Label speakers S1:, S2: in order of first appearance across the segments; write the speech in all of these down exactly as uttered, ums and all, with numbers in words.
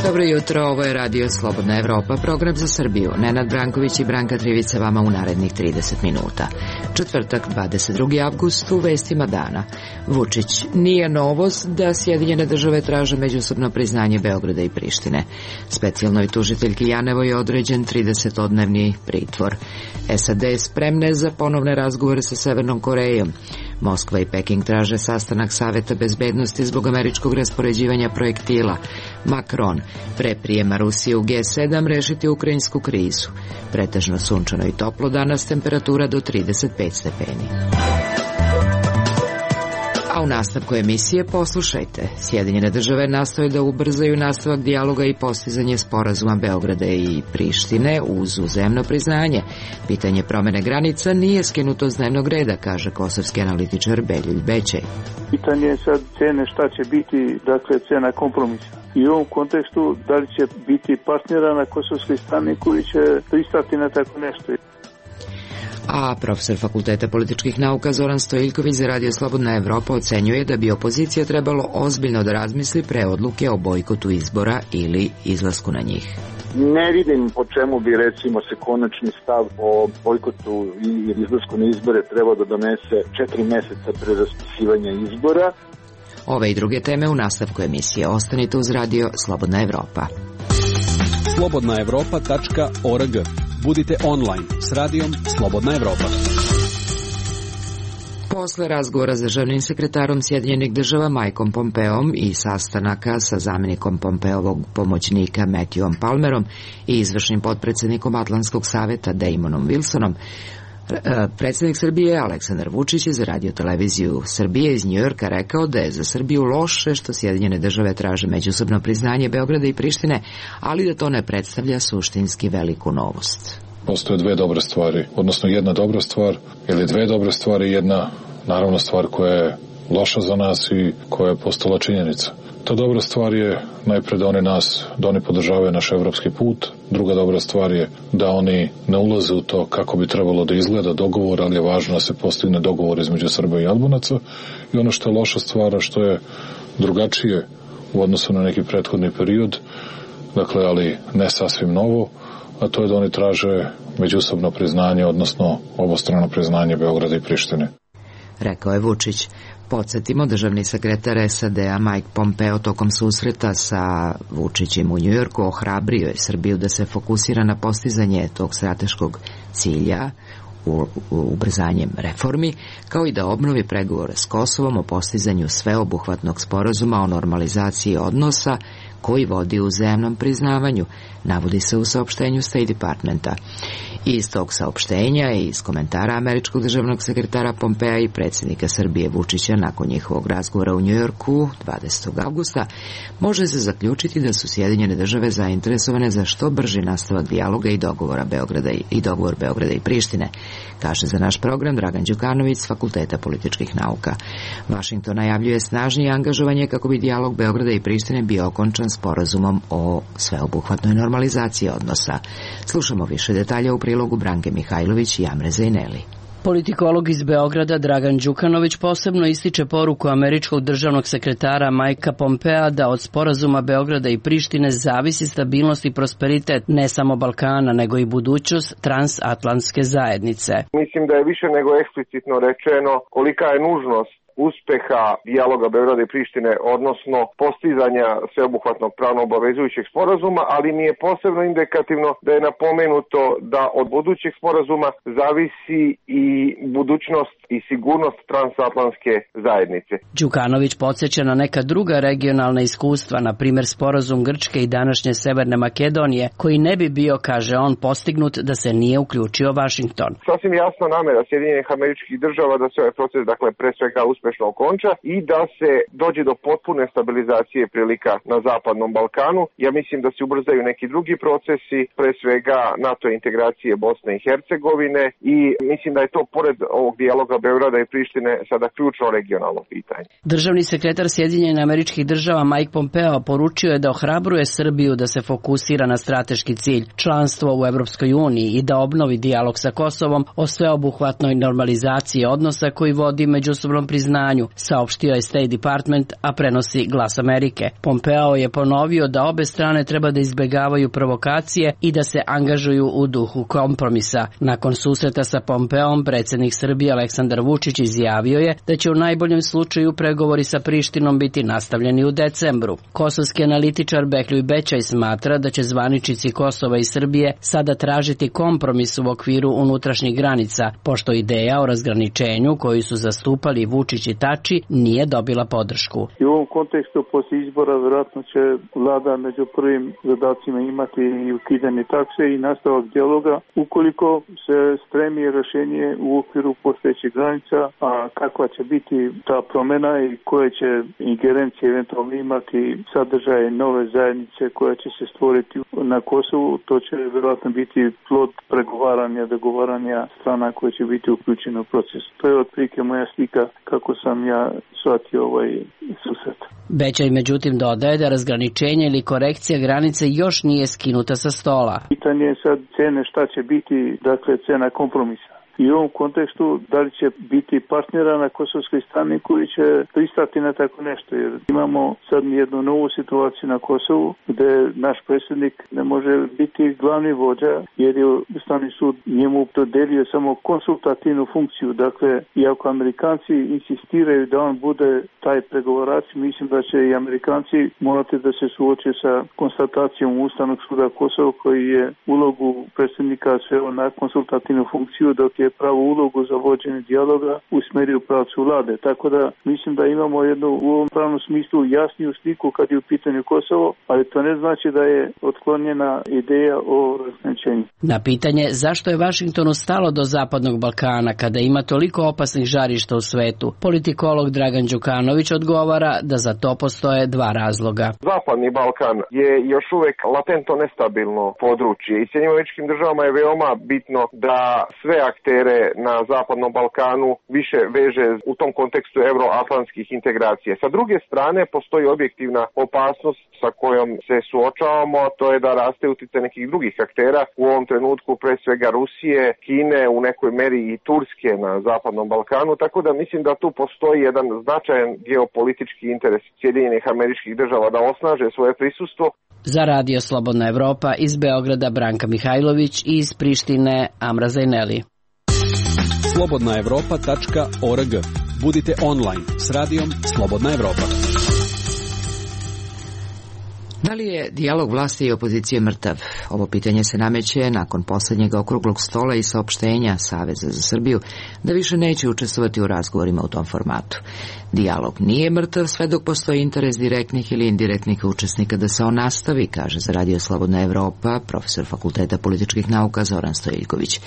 S1: Dobro jutro, ovo je Radio Slobodna Evropa, program za Srbiju. Nenad Branković i Branka Trivica vama u narednih trideset minuta. Četvrtak, dvadeset drugi avgust, u vestima dana. Vučić: nije novost da Sjedinjene države traže međusobno priznanje Beograda i Prištine. Specijalnoj tužiteljki Janevo je određen tridesetodnevni pritvor. S A D spremne za ponovne razgovore sa Severnom Korejom. Moskva i Peking traže sastanak Saveta bezbednosti zbog američkog raspoređivanja projektila. Macron: pre prijema Rusije u G sedam rešiti ukrajinsku krizu. Pretežno sunčano i toplo danas, temperatura do trideset pet stepeni. A u nastavku emisije poslušajte. Sjedinjene države nastoje da ubrzaju nastavak dijaloga i postizanje sporazuma Beograda i Prištine uz uzajamno priznanje. Pitanje promene granica nije skinuto s dnevnog reda, kaže kosovski analitičar Beljulj Bećej.
S2: Pitanje je sad cene, šta će biti, dakle, cena kompromisa. I u ovom kontekstu, da li će biti partnera na kosovskoj strani koji će pristati na tako nešto.
S1: A profesor Fakulteta političkih nauka Zoran Stojiljković za Radio Slobodna Evropa ocenjuje da bi opozicija trebalo ozbiljno da razmisli pre odluke o bojkotu izbora ili izlasku na njih.
S3: Ne vidim po čemu bi, recimo, se konačni stav o bojkotu i izlasku na izbore trebao da donese četiri meseca pre raspisivanja izbora.
S1: Ove i druge teme u nastavku emisije. Ostanite uz Radio Slobodna Evropa.
S4: slobodna evropa tačka org. Budite online s radijom Slobodna Evropa.
S1: Posle razgovora s državnim sekretarom Sjedinjenih država Mikeom Pompeom i sastanaka sa zamjenikom Pompeovog pomoćnika Matthewom Palmerom i izvršnim potpredsjednikom Atlantskog saveta Damonom Wilsonom, predsjednik Srbije Aleksandar Vučić je za radioteleviziju Srbije iz Njujorka rekao da je za Srbiju loše što Sjedinjene države traže međusobno priznanje Beograda i Prištine, ali da to ne predstavlja suštinski veliku novost.
S5: Postoje dve dobre stvari, odnosno jedna dobra stvar ili dve dobre stvari, jedna naravno stvar koja je loša za nas i koja je postala činjenica. Ta dobra stvar je najpre da oni nas, da oni podržavaju naš evropski put. Druga dobra stvar je da oni ne ulaze u to kako bi trebalo da izgleda dogovor, ali je važno da se postigne dogovor između Srba i Albunaca. I ono što je loša stvar, što je drugačije u odnosu na neki prethodni period, dakle, ali ne sasvim novo, a to je da oni traže međusobno priznanje, odnosno obostrano priznanje Beograda i Prištine.
S1: Rekao je Vučić. Podsjetimo, državni sekretar S A D-a Mike Pompeo tokom susreta sa Vučićem u Njujorku ohrabrio je Srbiju da se fokusira na postizanje tog strateškog cilja u, u ubrzanjem reformi, kao i da obnovi pregovore s Kosovom o postizanju sveobuhvatnog sporazuma o normalizaciji odnosa koji vodi u uzajamnom priznavanju, navodi se u saopštenju State Departmenta. Iz tog saopštenja i iz komentara američkog državnog sekretara Pompea i predsjednika Srbije Vučića nakon njihovog razgovora u Njujorku dvadesetog avgusta može se zaključiti da su Sjedinjene države zainteresovane za što brži nastavak dijaloga i dogovora Beograda i, i dogovor Beograda i Prištine, kaže za naš program Dragan Đukanović s Fakulteta političkih nauka. Washington najavljuje snažnije angažovanje kako bi dijalog Beograda i Prištine bio okončan sporazumom o sveobuhvatnoj normalizaciji odnosa. Slušamo više detalja u prilogu Branke Mihajlović i Amre Zejneli.
S6: Politikolog iz Beograda Dragan Đukanović posebno ističe poruku američkog državnog sekretara Mikea Pompea da od sporazuma Beograda i Prištine zavisi stabilnost i prosperitet ne samo Balkana, nego i budućnost transatlantske zajednice.
S3: Mislim da je više nego eksplicitno rečeno kolika je nužnost uspeha dijaloga Beograda i Prištine, odnosno postizanja sveobuhvatnog pravno obavezujućeg sporazuma, ali mi je posebno indikativno da je napomenuto da od budućeg sporazuma zavisi i budućnost i sigurnost transatlantske zajednice.
S6: Đukanović podsjeća na neka druga regionalna iskustva, na primjer sporazum Grčke i današnje Severne Makedonije, koji ne bi bio, kaže on, postignut da se nije uključio Washington.
S3: Sasvim jasna namera Sjedinjenih Američkih Država da se ovaj proces, dakle, pre svega uspešno okonča i da se dođe do potpune stabilizacije prilika na Zapadnom Balkanu. Ja mislim da se ubrzaju neki drugi procesi, pre svega NATO integracije Bosne i Hercegovine, i mislim da je to pored ovog dijaloga Beograda i Prištine sada ključno regionalno pitanje.
S6: Državni sekretar Sjedinjenih Američkih Država Mike Pompeo poručio je da ohrabruje Srbiju da se fokusira na strateški cilj, članstvo u Evropskoj uniji, i da obnovi dijalog sa Kosovom o sveobuhvatnoj normalizaciji odnosa koji vodi međusobnom priznanju znanju, saopštio je State Department, a prenosi Glas Amerike. Pompeo je ponovio da obe strane treba da izbegavaju provokacije i da se angažuju u duhu kompromisa. Nakon susreta sa Pompeom, predsjednik Srbije Aleksandar Vučić izjavio je da će u najboljem slučaju pregovori sa Prištinom biti nastavljeni u decembru. Kosovski analitičar Behljuj Bećaj smatra da će zvaničnici Kosova i Srbije sada tražiti kompromis u okviru unutrašnjih granica, pošto ideja o razgraničenju koju su zastupali Vučić i Tači nije dobila podršku.
S2: I u ovom kontekstu posle izbora vjerojatno će vlada među prvim zadacima imati i ukidanje takse i nastavak dijaloga ukoliko se stremi rješenje u okviru postojećih granica, a kakva će biti ta promjena i koje će ingerencije eventualno imati sadržaje nove zajednice koja će se stvoriti na Kosovu, to će vjerojatno biti plod pregovaranja, dogovaranja strana koje će biti uključene u proces. To je otprilike moja slika kako sam ja shvatio ovaj susret.
S6: Bećaj međutim dodaje da razgraničenje ili korekcija granice još nije skinuta sa stola.
S2: Pitanje je sad cene šta će biti, dakle cena kompromisa. I u ovom kontekstu da li će biti partnera na kosovskoj strani koji će pristati na tako nešto. Jer imamo sad jednu novu situaciju na Kosovu gde naš predsjednik ne može biti glavni vođa jer je Ustavni sud njemu dodelio samo konsultativnu funkciju. Dakle, iako Amerikanci insistiraju da on bude taj pregovarač, mislim da će i Amerikanci morati da se suoče sa konstatacijom Ustavnog suda Kosova koji je ulogu predsjednika sveo na konsultativnu funkciju dok je pravu ulogu za vođenje dijaloga usmeri u pravcu vlade. Tako da mislim da imamo jednu u ovom pravnom smislu jasniju sliku kad je u pitanju Kosovo, ali to ne znači da je otklonjena ideja o razgraničenju.
S6: Na pitanje zašto je Vašingtonu stalo do Zapadnog Balkana kada ima toliko opasnih žarišta u svetu, politikolog Dragan Đukanović odgovara da za to postoje dva razloga.
S3: Zapadni Balkan je još uvek latentno nestabilno područje i Sjedinjenim Američkim Državama je veoma bitno da sve aktere na Zapadnom Balkanu više veže u tom kontekstu euroatlantskih integracija. Sa druge strane, postoji objektivna opasnost sa kojom se suočavamo, to je da raste uticaj nekih drugih aktera, u ovom trenutku pre svega Rusije, Kine, u nekoj meri i Turske na Zapadnom Balkanu, tako da mislim da tu postoji jedan značajan geopolitički interes Sjedinjenih Američkih Država da osnaže svoje prisustvo.
S6: Za Radio Slobodna Evropa iz Beograda Branka Mihajlović i iz Prištine Amra Zajneli.
S4: slobodna evropa tačka org. Budite online s radijom Slobodna Evropa.
S1: Da li je dijalog vlasti i opozicije mrtav? Ovo pitanje se nameće nakon posljednjeg okruglog stola i saopštenja Saveza za Srbiju da više neće učestvovati u razgovorima u tom formatu. Dijalog nije mrtav sve dok postoji interes direktnih ili indirektnih učesnika da se on nastavi, kaže za Radio Slobodna Evropa profesor Fakulteta političkih nauka Zoran Stojiljković.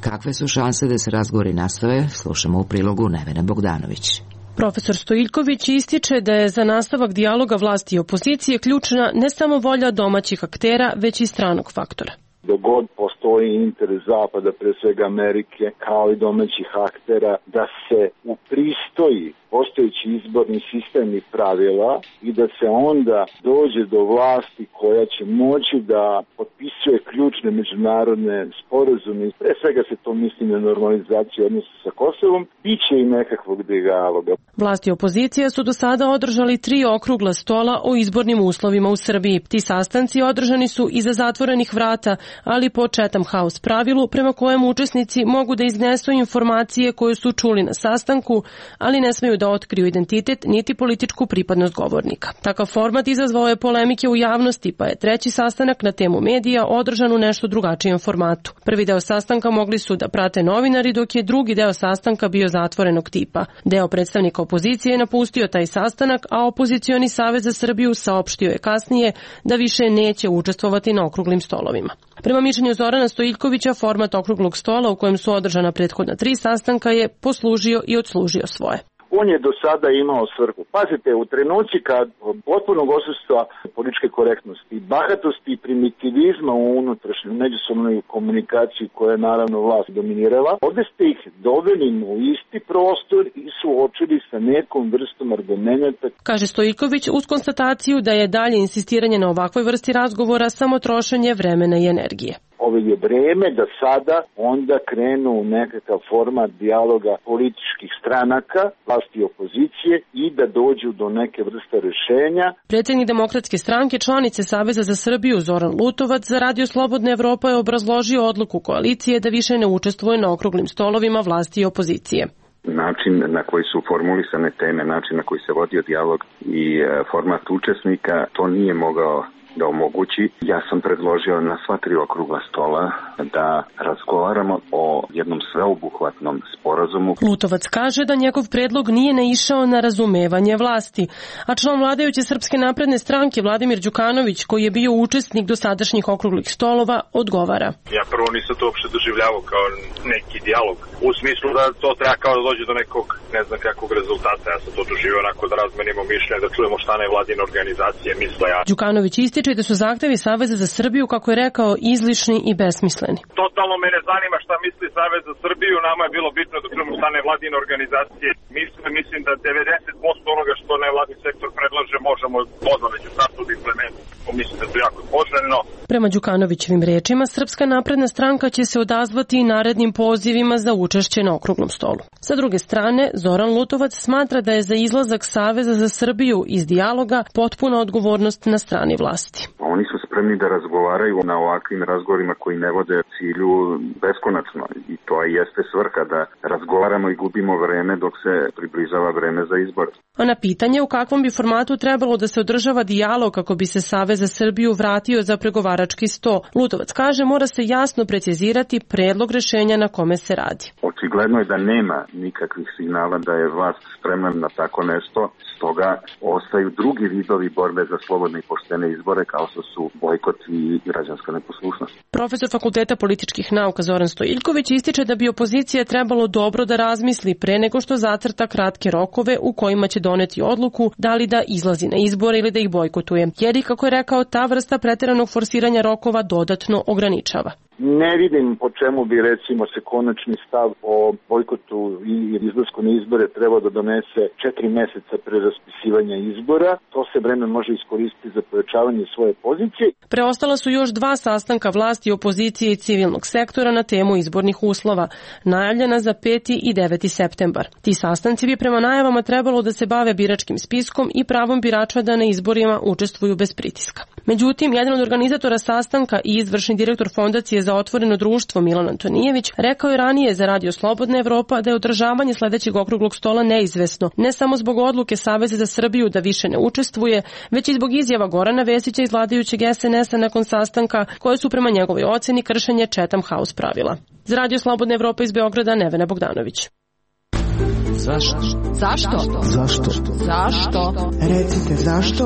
S1: Kakve su šanse da se razgovori nastave? Slušamo u prilogu Nevene Bogdanović.
S7: Profesor Stojiljković ističe da je za nastavak dijaloga vlasti i opozicije ključna ne samo volja domaćih aktera, već i stranog faktora.
S8: Dok god postoji interes Zapada, pre svega Amerike, kao i domaćih aktera, da se upristoji postojeći izborni sistem i pravila i da se onda dođe do vlasti koja će moći da potpisuje ključne međunarodne sporazume. Pre svega se to misli na normalizaciju odnosa sa Kosovom, bit će i nekakvog dijaloga.
S7: Vlasti i opozicija su do sada održali tri okrugla stola o izbornim uslovima u Srbiji. Ti sastanci održani su iza zatvorenih vrata, ali po Chatham House pravilu prema kojem učesnici mogu da iznesu informacije koje su čuli na sastanku, ali ne smeju da otkriju identitet niti političku pripadnost govornika. Takav format izazvao je polemike u javnosti, pa je treći sastanak na temu medija održan u nešto drugačijem formatu. Prvi deo sastanka mogli su da prate novinari, dok je drugi deo sastanka bio zatvorenog tipa. Deo predstavnika opozicije je napustio taj sastanak, a opozicioni Savez za Srbiju saopštio je kasnije da više neće učestvovati na okruglim stolovima. Prema mišljenju Zorana Stojiljkovića, format okruglog stola u kojem su održana prethodna tri sastanka je poslužio i odslužio svoje.
S8: On je do sada imao svrhu. Pazite, u trenuci kad potpunog odsustva političke korektnosti, bahatosti i primitivizma u unutrašnjoj međusobnoj komunikaciji koja je naravno vlast dominirala, ovdje ste ih doveli u isti prostor i suočili sa nekom vrstom argumenta.
S7: Kaže Stojiljković uz konstataciju da je dalje insistiranje na ovakvoj vrsti razgovora samo trošenje vremena i energije.
S8: Ovo je vreme da sada onda krenu u nekakav format dijaloga političkih stranaka, vlasti i opozicije i da dođu do neke vrste rešenja.
S7: Predsjednik Demokratske stranke, članice Saveza za Srbiju Zoran Lutovac za Radio Slobodna Evropa je obrazložio odluku koalicije da više ne učestvuje na okruglim stolovima vlasti i opozicije.
S9: Način na koji su formulisane teme, način na koji se vodio dijalog i format učesnika, to nije mogao da omogući. Ja sam predložio na sva tri okrugla stola da razgovaramo o jednom sveobuhvatnom sporazumu.
S7: Lutovac kaže da njegov predlog nije naišao na razumevanje vlasti, a član vladajuće Srpske napredne stranke Vladimir Đukanović, koji je bio učesnik dosadašnjih okruglih stolova, odgovara.
S10: Ja prvo nisam to uopšte doživljavao kao neki dijalog, u smislu da to treba kao da dođe do nekog, ne znam kakvog rezultata. Ja sam to doživio onako da razmenimo mišljenje, da čujemo šta nevladine organizacije misle. Ja.
S7: Đukanović ističe da su zahtevi Saveza za Srbiju, kako je rekao, izlišni i besmisleni.
S10: Totalno me ne zanima šta misli Savez za Srbiju, nama je bilo bitno da čujemo šta nevladine organizacije misle. Mislim da devedeset posto onoga što nevladni sektor predlaže možemo odmah već u startu da implementiramo. Mislim da je to jako poželjno.
S7: Prema Đukanovićevim rečima, Srpska napredna stranka će se odazvati i narednim pozivima za učešće na okruglom stolu. Sa druge strane, Zoran Lutovac smatra da je za izlazak Saveza za Srbiju iz dijaloga potpuna odgovornost na strani vlasti.
S9: Oni su spremni da razgovaraju na ovakvim razgovorima koji ne vode cilju beskonačno i to jeste svrha da razgovaramo i gubimo vreme dok se približava vreme za izbor.
S7: A na pitanje u kakvom bi formatu trebalo da se održava dijalog kako bi se Savez za Srbiju vratio za pregovarački sto, Lutovac kaže mora se jasno precizirati predlog rešenja na kome se radi.
S9: Očigledno je da nema nikakvih signala da je vlast spremna na tako nešto, stoga ostaju drugi vidovi borbe za slobodne i poštene izbore kao što su bojkot i građanska neposlušnost.
S7: Profesor Fakulteta političkih nauka Zoran Stojiljković ističe da bi opozicija trebalo dobro da razmisli pre nego što zacrta kratke rokove u kojima će doneti odluku da li da izlazi na izbore ili da ih bojkotuje, jer i kako je rekao, ta vrsta preteranog forsiranja rokova dodatno ograničava.
S8: Ne vidim po čemu bi recimo se konačni stav o bojkotu i izlasku na izbore trebao da donese četiri meseca pre raspisivanja izbora. To se vreme može iskoristiti za pojačavanje svoje pozicije.
S7: Preostala su još dva sastanka vlasti, opozicije i civilnog sektora na temu izbornih uslova, najavljena za peti i deveti septembar. Ti sastanci bi prema najavama trebalo da se bave biračkim spiskom i pravom birača da na izborima učestvuju bez pritiska. Međutim, jedan od organizatora sastanka i izvršni direktor Fondacije za otvoreno društvo Milan Antonijević rekao je ranije za Radio Slobodna Evropa da je održavanje sledećeg okruglog stola neizvesno, ne samo zbog odluke Saveza za Srbiju da više ne učestvuje, već i zbog izjava Gorana Vesića iz vladajućeg es en es a nakon sastanka, koje su prema njegovoj oceni kršenje Chatham House pravila. Za Radio Slobodna Evropa iz Beograda, Nevena Bogdanović.
S1: Zašto?
S11: Zašto?
S1: Zašto?
S11: Zašto?
S12: Recite zašto?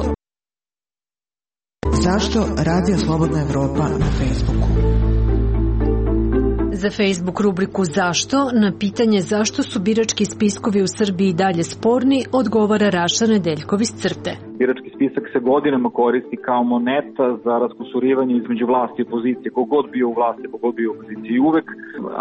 S12: Zašto Radio Slobodna Evropa na Facebooku?
S11: Za Facebook rubriku Zašto na pitanje zašto su birački spiskovi u Srbiji dalje sporni odgovara Raša Nedeljkov iz Crte.
S13: Birački spisak se godinama koristi kao moneta za raskusurivanje između vlasti i opozicije, kogod bio u vlasti, kogod bio u opoziciji. Uvek,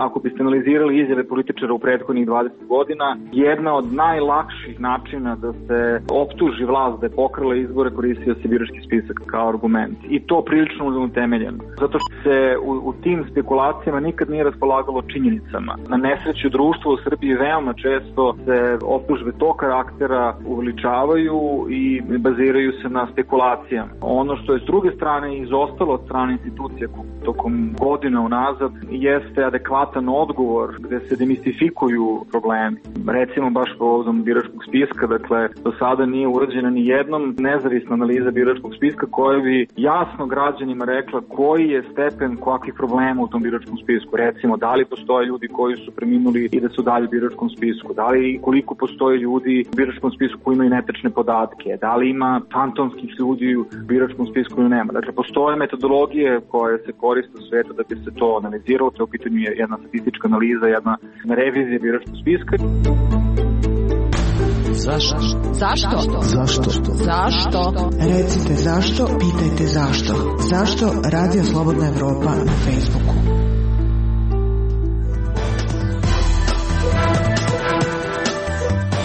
S13: ako biste analizirali izjave političara u prethodnih dvadeset godina, jedna od najlakših načina da se optuži vlast da je pokrala izbore koristio se birački spisak kao argument. I to prilično utemeljeno. Zato što se u, u tim spekulacijama nikad nije raspolagalo činjenicama. Na nesreću društva u Srbiji veoma često se optužbe tog karaktera uveličavaju i baziraju se na spekulacijama. Ono što je s druge strane izostalo od strane institucije tokom godina unazad jeste adekvatan odgovor gde se demistifikuju problemi. Recimo baš povodom biračkog spiska, dakle do sada nije urađena ni jednom nezavisna analiza biračkog spiska koja bi jasno građanima rekla koji je stepen kakvih problema u tom biračkom spisku. Recimo da li postoje ljudi koji su preminuli i da su dalje u biračkom spisku, da li koliko postoje ljudi u biračkom spisku koji imaju netačne podatke, da li ima fantomskih ljudi u biračkom spisku ili nema. Dakle, postoje metodologije koje se koriste u svetu da bi se to analiziralo. To je u pitanju jedna statistička analiza, jedna revizija biračkog spiska.
S1: Zašto?
S11: Zašto?
S1: Zašto?
S11: Zašto?
S12: Recite zašto, pitajte zašto. Zašto Radio Slobodna Evropa na Facebooku?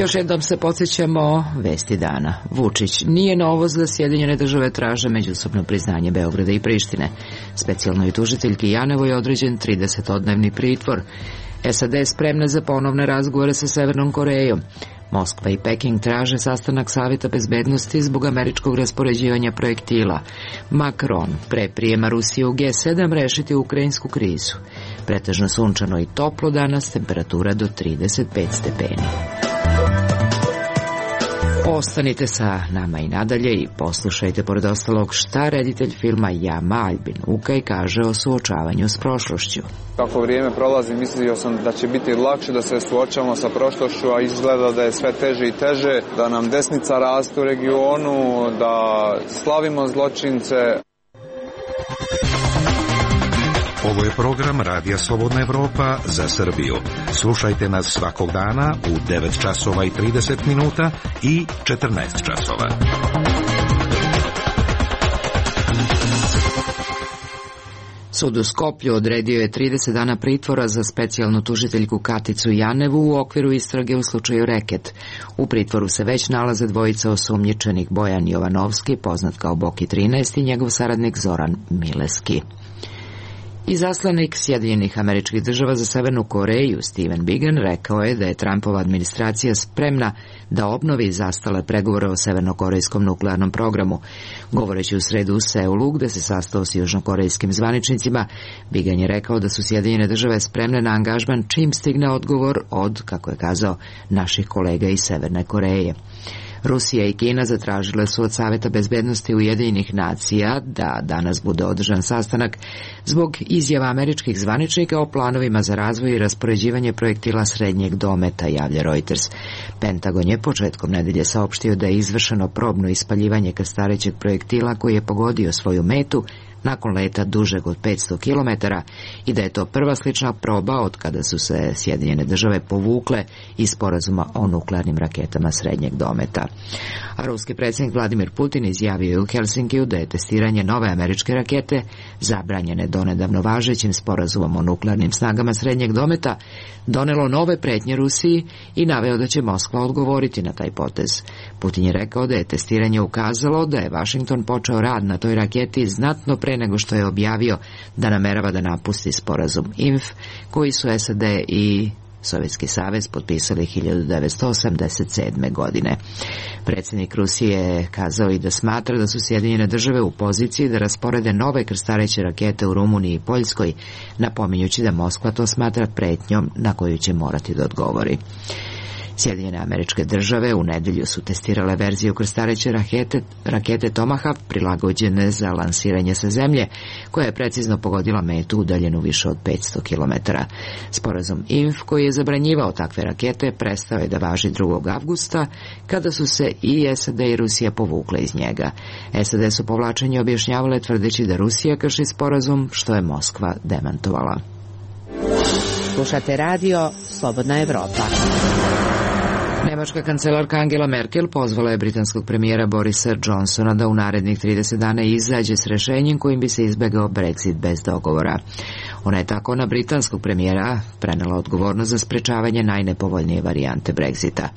S1: Još jednom se podsjećamo vesti dana. Vučić: nije novost da Sjedinjene države traže međusobno priznanje Beograda i Prištine. Specijalnoj tužiteljki Janevoj je određen tridesetodnevni pritvor. S A D je spremna za ponovne razgovore sa Severnom Korejom. Moskva i Peking traže sastanak Saveta bezbednosti zbog američkog raspoređivanja projektila. Macron pre prijema Rusije u G sedam rešiti ukrajinsku krizu. Pretežno sunčano i toplo danas, temperatura do trideset pet stepeni. Ostanite sa nama i nadalje i poslušajte pored ostalog šta reditelj filma Jama Albin Ukaj kaže o suočavanju s prošlošću.
S14: Kako vrijeme prolazi, mislio sam da će biti lakše da se suočavamo sa prošlošću, a izgleda da je sve teže i teže, da nam desnica raste u regionu, da slavimo zločince.
S15: Ovo je program Radija Slobodna Evropa za Srbiju. Slušajte nas svakog dana u devet časova i trideset minuta i četrnaest časova.
S1: Sud u Skoplju odredio je trideset dana pritvora za specijalnu tužiteljku Katicu Janevu u okviru istrage u slučaju Reket. U pritvoru se već nalaze dvojica osumnjičenih, Bojan Jovanovski, poznat kao Boki trinaest, i njegov saradnik Zoran Mileski. Izaslanik Sjedinjenih Američkih Država za Severnu Koreju Stephen Biegun rekao je da je Trumpova administracija spremna da obnovi zastale pregovore o severnokorejskom nuklearnom programu. Govoreći u sredu u Seulu, gde se sastao s južnokorejskim zvaničnicima, Biegun je rekao da su Sjedinjene Države spremne na angažman čim stigne odgovor od, kako je kazao, naših kolega iz Severne Koreje. Rusija i Kina zatražile su od Saveta bezbednosti Ujedinjenih nacija da danas bude održan sastanak zbog izjava američkih zvaničnika o planovima za razvoj i raspoređivanje projektila srednjeg dometa, javlja Reuters. Pentagon je početkom nedelje saopštio da je izvršeno probno ispaljivanje krstarećeg projektila koji je pogodio svoju metu nakon leta dužeg od petsto kilometara i da je to prva slična proba od kada su se Sjedinjene Države povukle iz sporazuma o nuklearnim raketama srednjeg dometa. A ruski predsjednik Vladimir Putin izjavio je u Helsinkiju da je testiranje nove američke rakete, zabranjene donedavno važećim sporazumom o nuklearnim snagama srednjeg dometa, donelo nove pretnje Rusiji i naveo da će Moskva odgovoriti na taj potez. Putin je rekao da je testiranje ukazalo da je Vašington počeo rad na toj raketi znatno pre nego što je objavio da namerava da napusti sporazum I N F koji su S A D i Sovjetski savez potpisali hiljadu devetsto osamdeset sedme. godine. Predsjednik Rusije je kazao i da smatra da su Sjedinjene Države u poziciji da rasporede nove krstareće rakete u Rumuniji i Poljskoj, napominjući da Moskva to smatra pretnjom na koju će morati da odgovori. Sjedinjene Američke Države u nedelju su testirale verziju krstareće rakete, rakete Tomahawk prilagođene za lansiranje sa zemlje, koja je precizno pogodila metu udaljenu više od petsto kilometara. Sporazum I N F koji je zabranjivao takve rakete prestao je da važi drugog avgusta, kada su se i S A D i Rusija povukle iz njega. S A D su povlačenje objašnjavale tvrdeći da Rusija krši sporazum, što je Moskva demantovala.
S16: Slušate radio Slobodna Evropa.
S1: Nemačka kancelarka Angela Merkel pozvala je britanskog premijera Borisa Johnsona da u narednih trideset dana izađe s rešenjem kojim bi se izbegao Brexit bez dogovora. Ona je tako na britanskog premijera prenela odgovornost za sprečavanje najnepovoljnije varijante Brexita.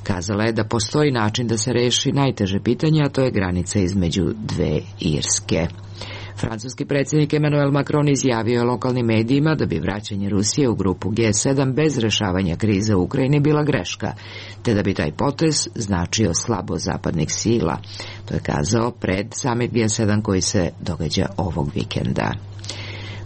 S1: Kazala je da postoji način da se reši najteže pitanje, a to je granica između dve Irske. Francuski predsjednik Emmanuel Macron izjavio je lokalnim medijima da bi vraćanje Rusije u grupu G sedam bez rešavanja krize u Ukrajini bila greška, te da bi taj potez značio slabo zapadnih sila. To je kazao pred summit G sedam koji se događa ovog vikenda.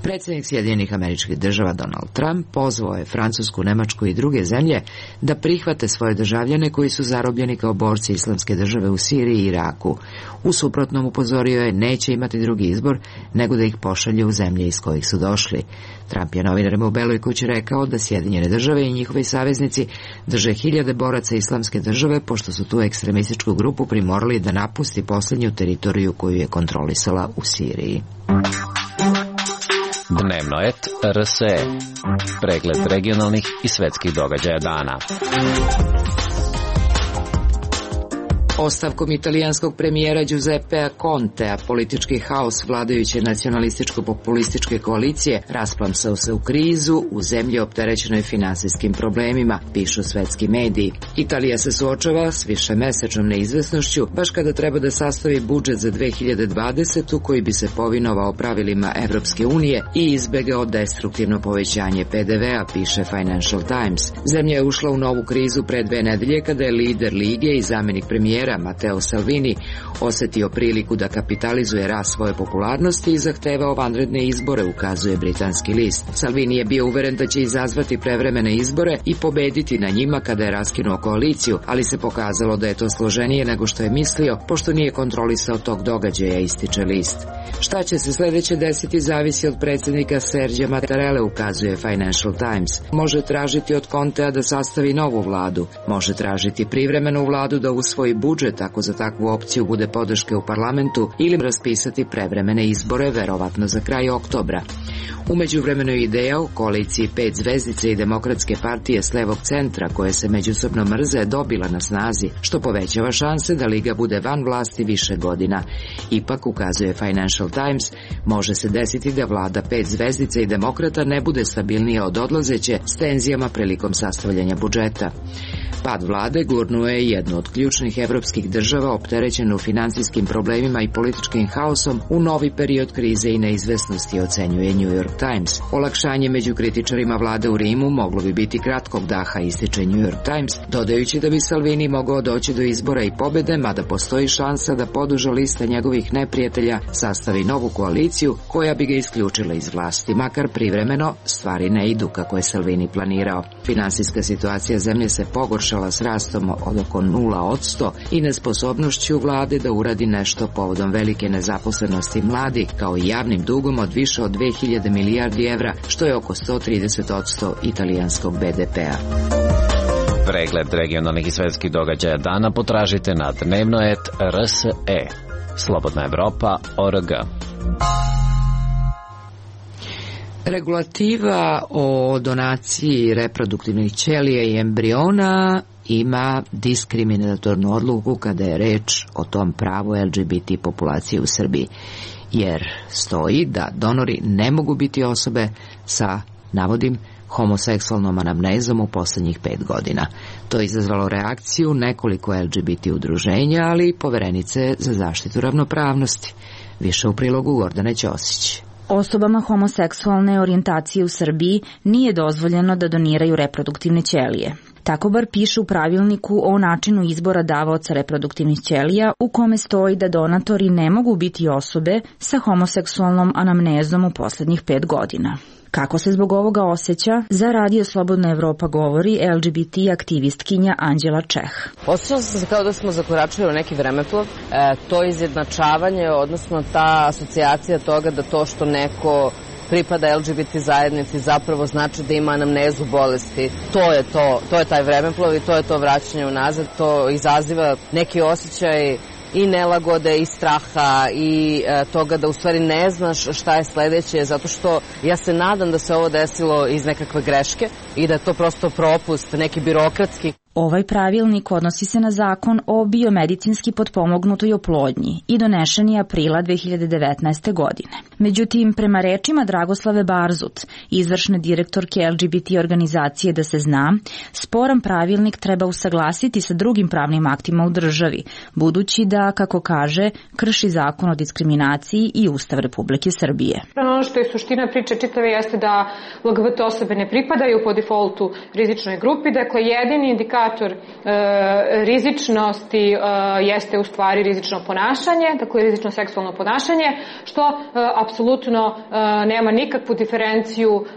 S1: Predsjednik Sjedinjenih Američkih Država Donald Trump pozvao je Francusku, Nemačku i druge zemlje da prihvate svoje državljane koji su zarobljeni kao borci Islamske države u Siriji i Iraku. U suprotnom, upozorio je, neće imati drugi izbor nego da ih pošalju u zemlje iz kojih su došli. Trump je novinarima u Beloj kući rekao da Sjedinjene Države i njihovi saveznici drže hiljade boraca Islamske države, pošto su tu ekstremističku grupu primorali da napusti posljednju teritoriju koju je kontrolisala u Siriji.
S17: Dnevno et R S E. Pregled regionalnih i svetskih događaja dana.
S1: Ostavkom italijanskog premijera Giuseppea Contea politički haos vladajuće nacionalističko-populističke koalicije rasplamsao se u krizu u zemlji opterećenoj finansijskim problemima, pišu svetski mediji. Italija se suočava s višemesečnom neizvesnošću baš kada treba da sastavi budžet za dve hiljade dvadesetu koji bi se povinovao pravilima Evropske unije i izbegao destruktivno povećanje P D V-a, piše Financial Times. Zemlja je ušla u novu krizu pre dve nedelje kada je lider Lige i zamenik premijera Matteo Salvini osetio priliku da kapitalizuje rast svoje popularnosti i zahtevao vanredne izbore, ukazuje britanski list. Salvini je bio uveren da će izazvati prevremene izbore i pobediti na njima kada je raskinuo koaliciju, ali se pokazalo da je to složenije nego što je mislio, pošto nije kontrolisao tog događaja, ističe list. Šta će se sledeće desiti zavisi od predsjednika Serđa Mattarelle, ukazuje Financial Times. Može tražiti od Contea da sastavi novu vladu, može tražiti privremenu vladu da usvoji budžet ako za takvu opciju bude podrške u parlamentu ili raspisati prevremene izbore, verovatno za kraj oktobra. U međuvremenu je ideja o koaliciji pet zvezdice i demokratske partije s levog centra koje se međusobno mrze dobila na snazi, što povećava šanse da Liga bude van vlasti više godina. Ipak, ukazuje Financial Times, može se desiti da vlada pet zvezdica i demokrata ne bude stabilnija od odlazeće s tenzijama prilikom sastavljanja budžeta. Pad vlade gurnuo je jednu od ključnih evropskih država opterećenu finansijskim problemima i političkim haosom u novi period krize i neizvesnosti, ocenjuje New York Times. Olakšanje među kritičarima vlade u Rimu moglo bi biti kratkog daha, ističe New York Times, dodajući da bi Salvini mogao doći do izbora i pobede, mada postoji šansa da poduža lista njegovih neprijatelja sastavi novu koaliciju koja bi ga isključila iz vlasti, makar privremeno stvari ne idu kako je Salvini planirao. Finansijska situacija zemlje se pogoršala s rastom od oko nula posto i nesposobnošću vlade da uradi nešto povodom velike nezaposlenosti mladih, kao i javnim dugom od više od dve hiljade milijardi evra, što je oko sto trideset posto italijanskog B D P-a.
S17: Pregled regionalnih i svetskih događaja dana potražite na dnevno et R S E. Slobodna Evropa, O R G.
S1: Regulativa o donaciji reproduktivnih ćelija i embriona ima diskriminatornu odluku kada je reč o tom pravu L G B T populacije u Srbiji, jer stoji da donori ne mogu biti osobe sa, navodim, homoseksualnom anamnezom u poslednjih pet godina. To je izazvalo reakciju nekoliko L G B T udruženja, ali i poverenice za zaštitu ravnopravnosti. Više u prilogu Gordane Ćosić.
S18: Osobama homoseksualne orijentacije u Srbiji nije dozvoljeno da doniraju reproduktivne ćelije. Tako bar piše u pravilniku o načinu izbora davaoca reproduktivnih ćelija, u kome stoji da donatori ne mogu biti osobe sa homoseksualnom anamnezom u poslednjih pet godina. Kako se zbog ovoga osjeća, za Radio Slobodna Evropa govori L G B T aktivistkinja Anđela Čeh.
S19: Osjećala sam se kao da smo zakoračili u neki vremeplov. E, to izjednačavanje, odnosno ta asocijacija toga da to što neko pripada L G B T zajednici zapravo znači da ima anamnezu bolesti. To je to, to je taj vremeplov i to je to vraćanje unazad. To izaziva neki osjećaj i nelagode i straha i e, toga da u stvari ne znaš šta je sledeće, zato što ja se nadam da se ovo desilo iz nekakve greške i da je to prosto propust, neki birokratski.
S18: Ovaj pravilnik odnosi se na zakon o biomedicinski potpomognutoj oplodnji i donešen je aprila dve hiljade devetnaeste. godine. Međutim, prema rečima Dragoslave Barzut, izvršne direktorke L G B T organizacije Da se zna, sporan pravilnik treba usaglasiti sa drugim pravnim aktima u državi, budući da, kako kaže, krši zakon o diskriminaciji i Ustav Republike Srbije.
S20: Ono što je suština priče čitave jeste da L G B T osobe ne pripadaju po defaultu rizičnoj grupi, dakle jedini indikator E, rizičnosti e, jeste u stvari rizično ponašanje, dakle rizično seksualno ponašanje, što e, apsolutno e, nema nikakvu diferenciju e,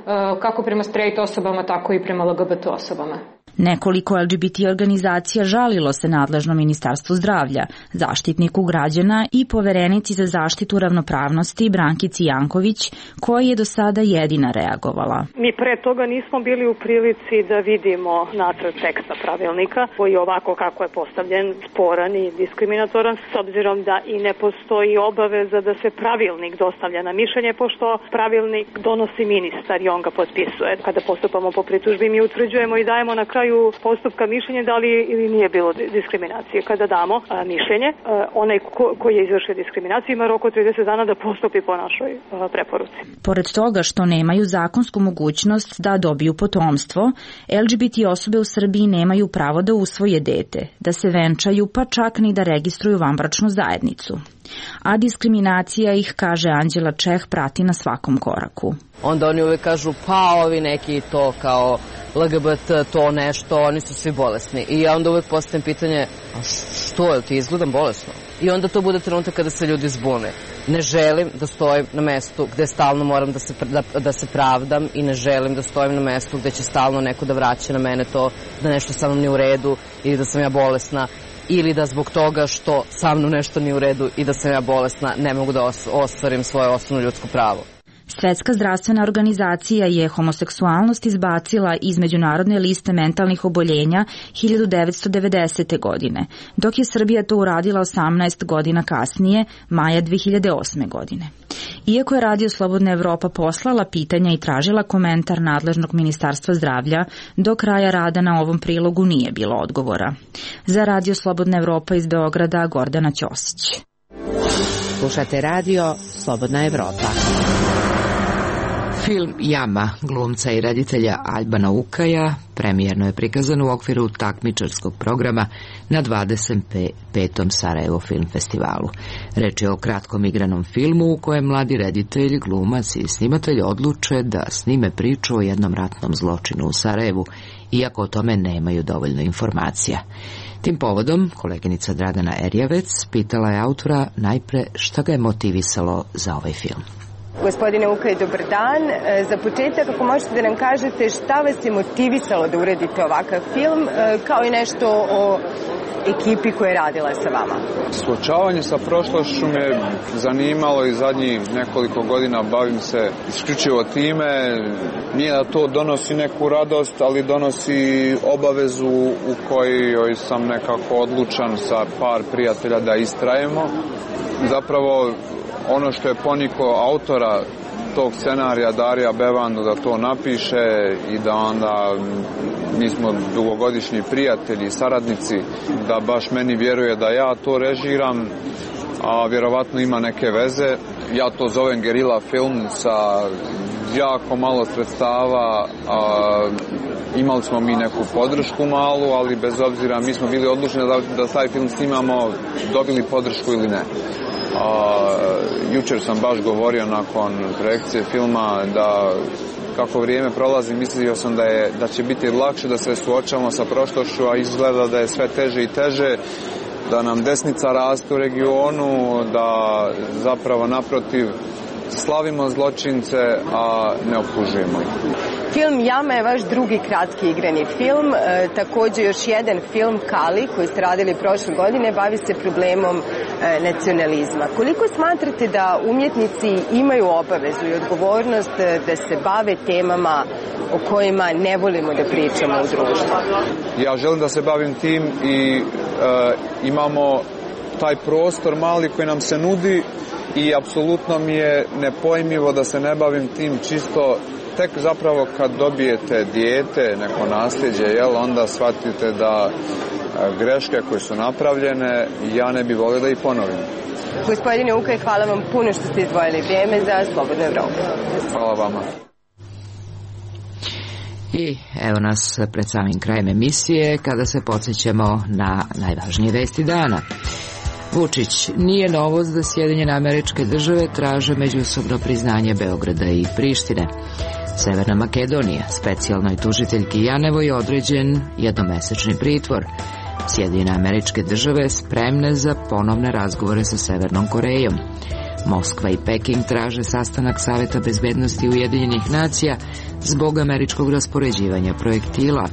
S20: kako prema straight osobama, tako i prema L G B T osobama.
S18: Nekoliko L G B T organizacija žalilo se nadležnom Ministarstvu zdravlja, Zaštitniku građana i Poverenici za zaštitu ravnopravnosti Brankici Janković, koja je do sada jedina reagovala.
S21: Mi pre toga nismo bili u prilici da vidimo nacrt teksta pravilnika, koji je ovako kako je postavljen sporan i diskriminatoran, s obzirom da i ne postoji obaveza da se pravilnik dostavlja na mišljenje, pošto pravilnik donosi ministar i on ga potpisuje. Kada postupamo po pritužbi, mi utvrđujemo i dajemo na kraju kraju postupka mišljenje da li ili nije bilo diskriminacije. Kada damo a, mišljenje, a, onaj ko, koji je izvršio diskriminaciju ima rok od trideset dana da postupi po našoj a, preporuci.
S18: Pored toga što nemaju zakonsku mogućnost da dobiju potomstvo, el dži bi ti osobe u Srbiji nemaju pravo da usvoje dete, da se venčaju, pa čak ni da registruju vanbračnu zajednicu. A diskriminacija ih, kaže Anđela Čeh, prati na svakom koraku.
S19: Onda oni uvek kažu, pa ovi neki to kao el ge be te, to nešto, oni su svi bolesni. I ja onda uvek postavim pitanje, a što, je ti izgledam bolesno? I onda to bude trenutak kada se ljudi zbune. Ne želim da stojim na mestu gde stalno moram da se, da, da se pravdam i ne želim da stojim na mestu gde će stalno neko da vraća na mene to da nešto sa mnom nije u redu ili da sam ja bolesna ili da zbog toga što sa mnom nešto nije u redu i da sam ja bolesna ne mogu da ostvarim svoje osnovno ljudsko pravo.
S18: Svetska zdravstvena organizacija je homoseksualnost izbacila iz međunarodne liste mentalnih oboljenja hiljadu devetsto devedesete. godine, dok je Srbija to uradila osamnaest godina kasnije, maja dve hiljade osme. godine. Iako je Radio Slobodna Evropa poslala pitanja i tražila komentar nadležnog Ministarstva zdravlja, do kraja rada na ovom prilogu nije bilo odgovora. Za Radio Slobodna Evropa iz Beograda, Gordana Ćosić.
S16: Slušate Radio Slobodna Evropa.
S1: Film Jama glumca i reditelja Albana Ukaja premijerno je prikazan u okviru takmičarskog programa na dvadeset petom Sarajevo film festivalu. Reč je o kratkom igranom filmu u kojem mladi reditelj, glumac i snimatelj odluče da snime priču o jednom ratnom zločinu u Sarajevu, iako o tome nemaju dovoljno informacija. Tim povodom, koleginica Dragana Erjavec pitala je autora najpre šta ga je motivisalo za ovaj film.
S5: Gospodine Ukaj, dobar dan. Za početak, ako možete da nam kažete šta vas je motivisalo da uradite ovakav film, kao i nešto o ekipi koja je radila sa vama.
S14: Suočavanje sa prošlošću me zanimalo i zadnjih nekoliko godina bavim se isključivo time. Nije da to donosi neku radost, ali donosi obavezu u kojoj sam nekako odlučan sa par prijatelja da istrajemo. Zapravo, ono što je poniko autora tog scenarija, Darija Bevandu, da to napiše i da onda mi smo dugogodišnji prijatelji i saradnici, da baš meni vjeruje da ja to režiram, a vjerovatno ima neke veze. Ja to zovem gerila film sa jako malo sredstava, a imali smo mi neku podršku malu, ali bez obzira mi smo bili odlučeni da, da taj film snimamo, dobili podršku ili ne. A, jučer sam baš govorio nakon projekcije filma da kako vrijeme prolazi mislio sam da, je, da će biti lakše da se suočavamo sa prošlošću, a izgleda da je sve teže i teže, da nam desnica raste u regionu, da zapravo naprotiv slavimo zločince, a ne optužujemo ih.
S5: Film Jama je vaš drugi kratki igrani film, e, također još jedan film Kali koji ste radili prošle godine bavi se problemom e, nacionalizma. Koliko smatrate da umjetnici imaju obavezu i odgovornost e, da se bave temama o kojima ne volimo da pričamo u društvu?
S14: Ja želim da se bavim tim i e, imamo taj prostor mali koji nam se nudi i apsolutno mi je nepojmljivo da se ne bavim tim čisto tek zapravo kad dobijete dijete, neko nasljeđe, jel, onda shvatite da greške koje su napravljene, ja ne bih volio da ih ponovim.
S5: Gospodine Ukaj, hvala vam puno što ste izdvojili vrijeme za Slobodnu Evropu.
S14: Hvala vama.
S1: I evo nas pred samim krajem emisije kada se podsjećamo na najvažnije vesti dana. Vučić, nije novost da Sjedinjene Američke Države traže međusobno priznanje Beograda i Prištine. Severna Makedonija, specijalnoj tužiteljki Janevoj je određen jednomesečni pritvor. Sjedinjene Američke Države spremne za ponovne razgovore sa Severnom Korejom. Moskva i Peking traže sastanak Saveta bezbednosti Ujedinjenih nacija zbog američkog raspoređivanja projektila.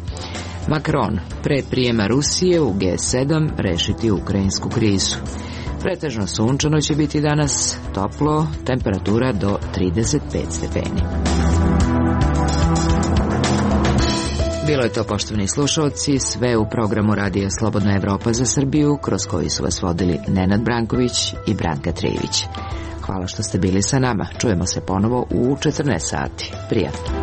S1: Macron, pre prijema Rusije u G sedam rešiti ukrajinsku krizu. Pretežno sunčano će biti danas, toplo, temperatura do trideset pet stepeni. Bilo je to, poštovani slušalci, sve u programu Radija Slobodna Evropa za Srbiju, kroz koji su vas vodili Nenad Branković i Branka Trijević. Hvala što ste bili sa nama. Čujemo se ponovo u četrnaest sati. Prijatno.